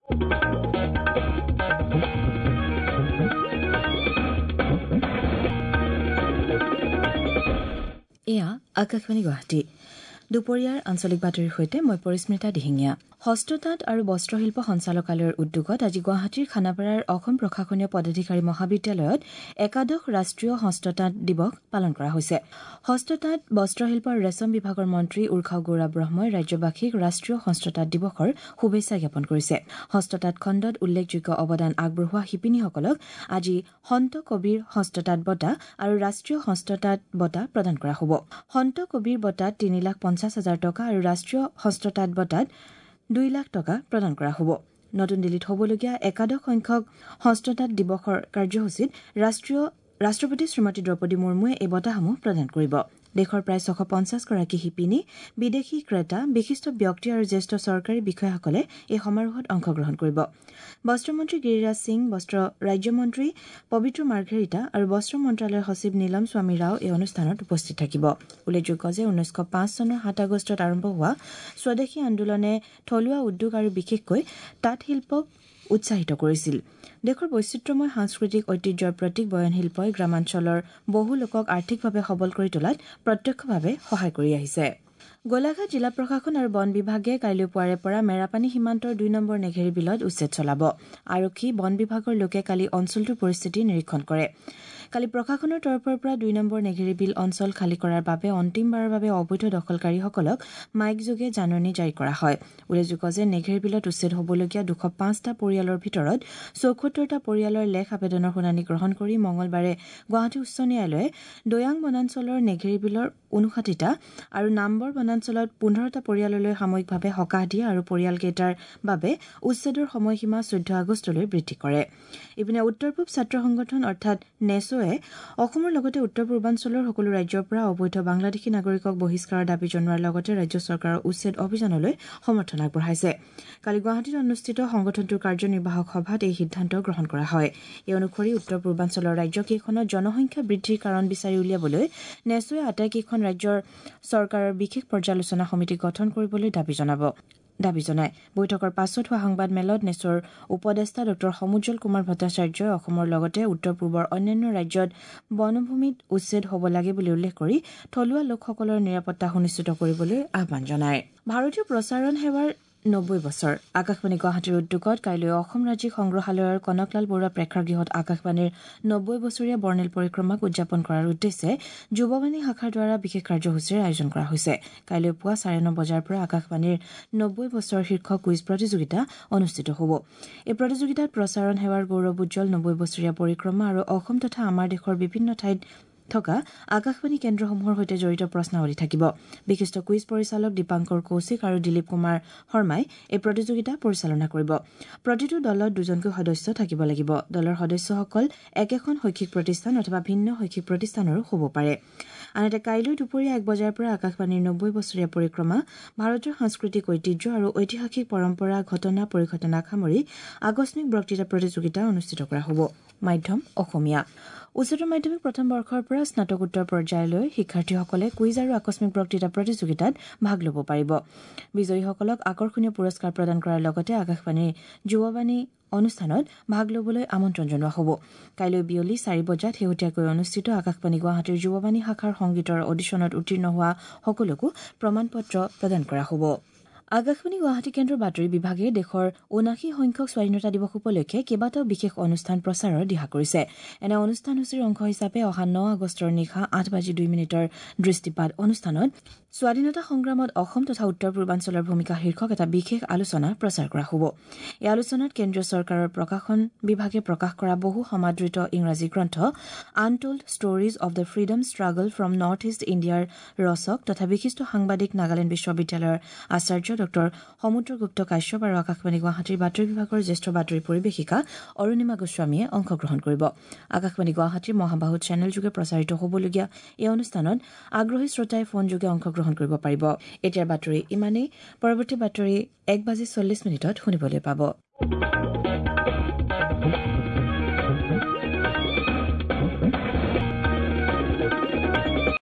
এয়া আকাশবাণী গুৱাহাটী। দুপৰীয়াৰ আঞ্চলিক বাতৰিৰ সৈতে মই পৰিস্মিতা দিহিঙীয়া। হস্ততাঁত আৰু বস্ত্ৰশিল্প সঞ্চালকালয়ৰ উদ্যোগত আজি গুৱাহাটীৰ খানাপাৰাৰ অসম প্ৰশাসনীয় পদাধিকাৰী মহাবিদ্যালয়ত একাদশ ৰাষ্ট্ৰীয় হস্ততাঁত দিৱস পালন কৰা হৈছে। হস্ততাঁত, বস্ত্ৰশিল্প আৰু ৰেচম বিভাগৰ মন্ত্ৰী উৰ্খাও গৌৰা ব্ৰহ্মই ৰাজ্যবাসীক ৰাষ্ট্ৰীয় হস্ততাঁত দিৱসৰ শুভেচ্ছা জ্ঞাপন কৰিছে। হস্ততাঁত খণ্ডত উল্লেখযোগ্য অৱদান আগবঢ়োৱা শিপিনীসকলক আজি সন্ত কবিৰ হস্ততাঁত বঁটা আৰু ৰাষ্ট্ৰীয় হস্ততাঁত বঁটা প্ৰদান কৰা হ'ব। সন্ত কবিৰ বঁটাত 3,50,000 টকা আৰু ৰাষ্ট্ৰীয় হস্ততাঁত বঁটাত 2 লাখ টকা প্ৰদান কৰা হ'ব। নতুন দিল্লীত হ'বলগীয়া একাদশ সংখ্যক হস্ততাঁত দিৱসৰ কাৰ্যসূচীত ৰাষ্ট্ৰপতি শ্ৰীমতী দ্ৰৌপদী মুৰ্মুৱে এই বঁটাসমূহ প্ৰদান কৰিব। দেশৰ প্ৰায় 650 গৰাকী শিপিনী, বিদেশী ক্ৰেতা, বিশিষ্ট ব্যক্তি আৰু জ্যেষ্ঠ চৰকাৰী বিষয়াসকলে এই সমাৰোহত অংশগ্ৰহণ কৰিব। বস্ত্ৰমন্ত্ৰী গিৰিৰাজ সিং, বস্ত্ৰ ৰাজ্যমন্ত্ৰী পবিত্ৰ মাৰ্ঘেৰিটা আৰু বস্ত্ৰ মন্ত্ৰালয়ৰ সচিব নীলম স্বামী ৰাও এই অনুষ্ঠানত উপস্থিত থাকিব। উল্লেখযোগ্য যে 1905 চনৰ 7 আগষ্টত আৰম্ভ হোৱা স্বদেশী আন্দোলনে থলুৱা উদ্যোগ আৰু বিশেষকৈ তাঁত শিল্পক উৎসাহিত কৰিছিল। দেশৰ বৈচিত্ৰ্যময় সাংস্কৃতিক ঐতিহ্যৰ প্ৰতীক বয়নশিল্পই গ্ৰামাঞ্চলৰ বহু লোকক আৰ্থিকভাৱে সবল কৰি তোলাত প্ৰত্যক্ষভাৱে সহায় কৰি আহিছে। গোলাঘাট জিলা প্ৰশাসন আৰু বন বিভাগে কাইলৈ পুৱাৰে পৰা মেৰাপানী সীমান্তৰ 2 নম্বৰ নেঘেৰী বিলত উচ্ছেদ চলাব। আৰক্ষী, বন বিভাগৰ লোকে কালি অঞ্চলটোৰ পৰিস্থিতি নিৰীক্ষণ কৰে। কালি প্ৰশাসনৰ তৰফৰ পৰা 2 নম্বৰ নেঘেৰী বিল অঞ্চল খালী কৰাৰ বাবে অন্তিমবাৰৰ বাবে অবৈধ দখলকাৰীসকলক মাইকযোগে জাননী জাৰি কৰা হয়। উল্লেখযোগ্য যে নেঘেৰী বিলত উচ্ছেদ হ'বলগীয়া 205টা পৰিয়ালৰ ভিতৰত 74টা পৰিয়ালৰ লেখ আবেদনৰ শুনানি গ্ৰহণ কৰি মঙলবাৰে গুৱাহাটী উচ্চ ন্যায়ালয়ে দৈয়াং বনাঞ্চলৰ নেঘেৰী বিলৰ 59টা আৰু নামবৰ বনাঞ্চলত 15টা পৰিয়াললৈ সাময়িকভাৱে সকাহ দিয়ে আৰু পৰিয়ালকেইটাৰ বাবে উচ্ছেদৰ সময়সীমা 14 আগষ্টলৈ বৃদ্ধি কৰে। ইপিনে উত্তৰ পূব ছাত্ৰ সংগঠন অৰ্থাৎ নেছ'ৱে অসমৰ লগতে উত্তৰ পূৰ্বাঞ্চলৰ সকলো ৰাজ্যৰ পৰা অবৈধ বাংলাদেশী নাগৰিকক বহিষ্কাৰৰ দাবী জনোৱাৰ লগতে ৰাজ্য চৰকাৰৰ উচ্ছেদ অভিযানলৈ সমৰ্থন আগবঢ়াইছে। কালি গুৱাহাটীত অনুষ্ঠিত সংগঠনটোৰ কাৰ্যনিৰ্বাহক সভাত এই সিদ্ধান্ত গ্ৰহণ কৰা হয়। এই অনুসৰি উত্তৰ পূৰ্বাঞ্চলৰ ৰাজ্যকেইখনত জনসংখ্যা বৃদ্ধিৰ কাৰণ বিচাৰি উলিয়াবলৈ নেছ'ৱে আটাইকেইখন ৰাজ্যৰ চৰকাৰৰ বিশেষ পৰ্যালোচনা সমিতি গঠন কৰিবলৈ দাবী জনায়। বৈঠকৰ পাছত হোৱা সংবাদমেলত নেছ'ৰ উপদেষ্টা ডঃ সমুজ্জ্বল কুমাৰ ভট্টাচাৰ্যই অসমৰ লগতে উত্তৰ পূবৰ অন্যান্য ৰাজ্যত বনভূমিত উচ্ছেদ হ'ব লাগে বুলি উল্লেখ কৰি থলুৱা লোকসকলৰ নিৰাপত্তা সুনিশ্চিত কৰিবলৈ আহ্বান জনায়। ভাৰতীয় প্ৰচাৰণ সেৱাৰ 90 বছৰ। আকাশবাণী গুৱাহাটীৰ উদ্যোগত কাইলৈ অসম ৰাজ্যিক সংগ্ৰহালয়ৰ কনকলাল বৰুৱা প্ৰেক্ষাগৃহত আকাশবাণীৰ 90 বছৰীয়া বৰ্ণিল পৰিক্ৰমাক উদযাপন কৰাৰ উদ্দেশ্যে যুৱবাণী শাখাৰ দ্বাৰা বিশেষ কাৰ্যসূচীৰ আয়োজন কৰা হৈছে। কাইলৈ পুৱা 9:30 বজাৰ পৰা আকাশবাণীৰ 90 বছৰ শীৰ্ষক কুইজ প্ৰতিযোগিতা অনুষ্ঠিত হ'ব। এই প্ৰতিযোগিতাত প্ৰচাৰণ সেৱাৰ গৌৰৱোজ্জ্বল 90 বছৰীয়া পৰিক্ৰমা আৰু অসম তথা আমাৰ দেশৰ বিভিন্ন ঠাইত থকা আকাশবাণী কেন্দ্ৰসমূহৰ সৈতে জড়িত প্ৰশ্নাৱলী থাকিব। বিশিষ্ট কুইজ পৰিচালক দীপাংকৰ কৌশিক আৰু দিলীপ কুমাৰ শৰ্মাই এই প্ৰতিযোগিতা পৰিচালনা কৰিব। প্ৰতিটো দলত দুজনকৈ সদস্য থাকিব লাগিব। দলৰ সদস্যসকল একেখন শৈক্ষিক প্ৰতিষ্ঠান অথবা ভিন্ন শৈক্ষিক প্ৰতিষ্ঠানৰো হ'ব পাৰে। আনহাতে কাইলৈ দুপৰীয়া 1 বজাৰ পৰা আকাশবাণীৰ 90 বছৰীয়া পৰিক্ৰমা, ভাৰতৰ সাংস্কৃতিক ঐতিহ্য আৰু ঐতিহাসিক পৰম্পৰা, ঘটনা পৰিঘটনাক সামৰি আকস্মিক বক্তৃতা প্ৰতিযোগিতা অনুষ্ঠিত কৰা হ'ব। মাধ্যম অসমীয়া। উচ্চতৰ মাধ্যমিক প্ৰথম বৰ্ষৰ পৰা স্নাতকোত্তৰ পৰ্যায়লৈ শিক্ষাৰ্থীসকলে কুইজ আৰু আকস্মিক বক্তৃতা প্ৰতিযোগিতাত ভাগ ল'ব পাৰিব। বিজয়ীসকলক আকৰ্ষণীয় পুৰস্কাৰ প্ৰদান কৰাৰ লগতে আকাশবাণীৰ যুৱবাণী অনুষ্ঠানত ভাগ ল'বলৈ আমন্ত্ৰণ জনোৱা হ'ব। কাইলৈ বিয়লি 4 বজাত শেহতীয়াকৈ অনুষ্ঠিত আকাশবাণী গুৱাহাটীৰ যুৱবাণী শাখাৰ সংগীতৰ অডিশ্যনত উত্তীৰ্ণ হোৱা সকলোকো প্ৰমাণ পত্ৰ প্ৰদান কৰা হ'ব। আকাশবাণী গুৱাহাটী কেন্দ্ৰৰ বাতৰি বিভাগে দেশৰ 79 সংখ্যক স্বাধীনতা দিৱস উপলক্ষে কেইবাটাও বিশেষ অনুষ্ঠান প্ৰচাৰৰ দিহা কৰিছে। এনে অনুষ্ঠানসূচীৰ অংশ হিচাপে অহা 9 আগষ্টৰ নিশা 8 বাজি 2 মিনিটৰ দৃষ্টিপাত অনুষ্ঠানত স্বাধীনতা সংগ্ৰামত অসম তথা উত্তৰ পূৰ্বাঞ্চলৰ ভূমিকা শীৰ্ষক এটা বিশেষ আলোচনা প্ৰচাৰ কৰা হ'ব। এই আলোচনাত কেন্দ্ৰীয় চৰকাৰৰ প্ৰকাশন বিভাগে প্ৰকাশ কৰা বহু সমাদৃত ইংৰাজী গ্ৰন্থ Untold Stories of the Freedom Struggle from North East ইণ্ডিয়াৰ ৰচক তথা বিশিষ্ট সাংবাদিক, নাগালেণ্ড বিশ্ববিদ্যালয়ৰ আচাৰ্য ডঃ সমুদ্ৰগুপ্ত কাশ্যপ আৰু আকাশবাণী গুৱাহাটীৰ বাতৰি বিভাগৰ জ্যেষ্ঠ বাতৰি পৰিৱেশিকা অৰুণিমা গোস্বামীয়ে অংশগ্ৰহণ কৰিব। আকাশবাণী গুৱাহাটীৰ মহাবাহু চেনেলযোগে প্ৰচাৰিত হ'বলগীয়া এই অনুষ্ঠানত আগ্ৰহী শ্ৰোতাই ফোনযোগে অংশগ্ৰহণ কৰিব পাৰিব। এতিয়াৰ বাতৰি ইমানেই। পৰৱৰ্তী বাতৰি 1 বাজি 40 মিনিটত শুনিবলৈ পাব।